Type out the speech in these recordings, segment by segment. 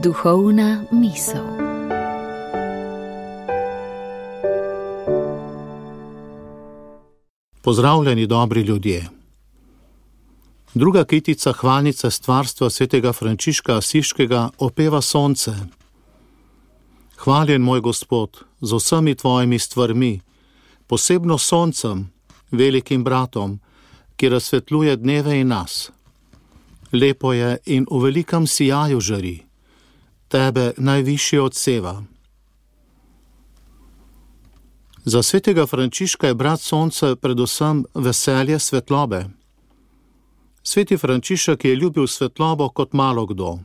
Duhovna misel. Pozdravljeni, dobri ljudje. Druga kitica hvalnice stvarstva svetega Frančiška Asiškega opeva sonce. Hvaljen moj Gospod z vsemi tvojimi stvarmi, posebno soncem, velikim bratom, ki razsvetljuje dneve in nas. Lepo je in v velikem sijaju žari, tebe najvišje odseva. Za svetega Frančiška je brat sonce predvsem veselje svetlobe. Sveti Frančišek je ljubil svetlobo kot malo kdo.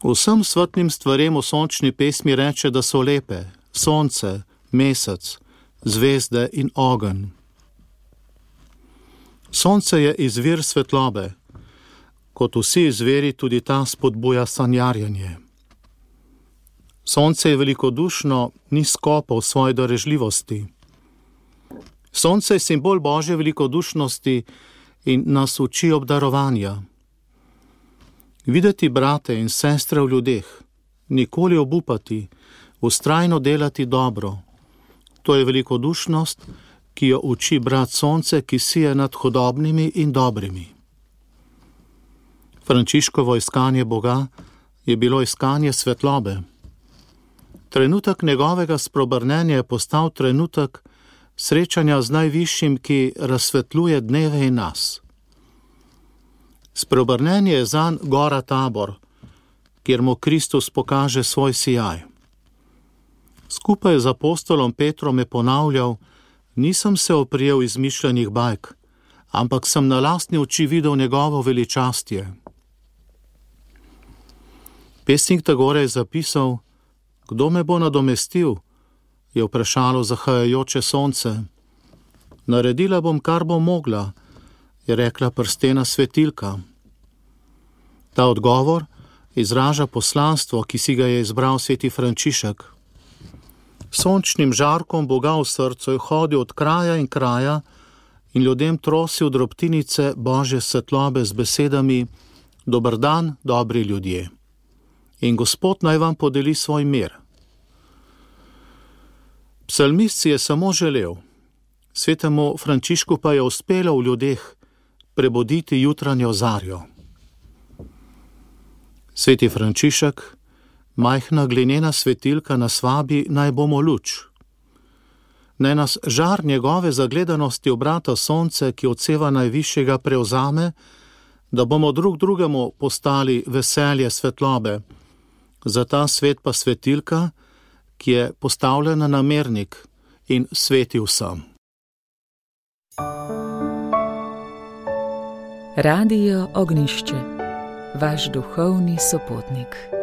Vsem svetlim stvarem v sončni pesmi reče, da so lepe: sonce, mesec, zvezde in ogenj. Sonce je izvir svetlobe, kot vsi izviri tudi ta spodbuja sanjarjenje. Sonce je velikodušno, ni skopo v svoji darežljivosti. Sonce je simbol Božje velikodušnosti in nas uči obdarovanja. Videti brate in sestre v ljudeh, nikoli obupati, vztrajno delati dobro. To je velikodušnost, ki jo uči brat sonce, ki sije nad hudobnimi in dobrimi. Frančiškovo iskanje Boga je bilo iskanje svetlobe. Trenutek njegovega spreobrnenja je postal trenutek srečanja z najvišjim, ki razsvetljuje dneve in nas. Spreobrnenje je zanj gora Tabor, kjer mu Kristus pokaže svoj sijaj. Skupaj z apostolom Petrom je ponavljal: nisem se oprijel izmišljenih bajk, ampak sem na lastne oči videl njegovo veličastje. Pesnik Tagore je zapisal: kdo me bo nadomestil, je vprašalo zahajajoče sonce. Naredila bom, kar bom mogla, je rekla prstena svetilka. Ta odgovor izraža poslanstvo, ki si ga je izbral sveti Frančišek. Sončnim žarkom Boga v srcu je hodil od kraja in kraja in ljudem trosil drobtinice Božje svetlobe z besedami: dober dan, dobri ljudje. In Gospod naj vam podeli svoj mir. Psalmist si je samo želel, svetemu Frančišku pa je uspelo v ljudeh prebuditi jutranjo zarjo. Sveti Frančišek, majhna glinena svetilka, nas vabi, naj bomo luč. Naj nas žar njegove zagledanosti v brata sonce, ki odseva najvišjega, prevzame, da bomo drug drugemu postali veselje svetlobe, za ta svet pa svetilka, ki je postavljena na mernik in sveti vsem. Radio Ognjišče, vaš duhovni sopotnik.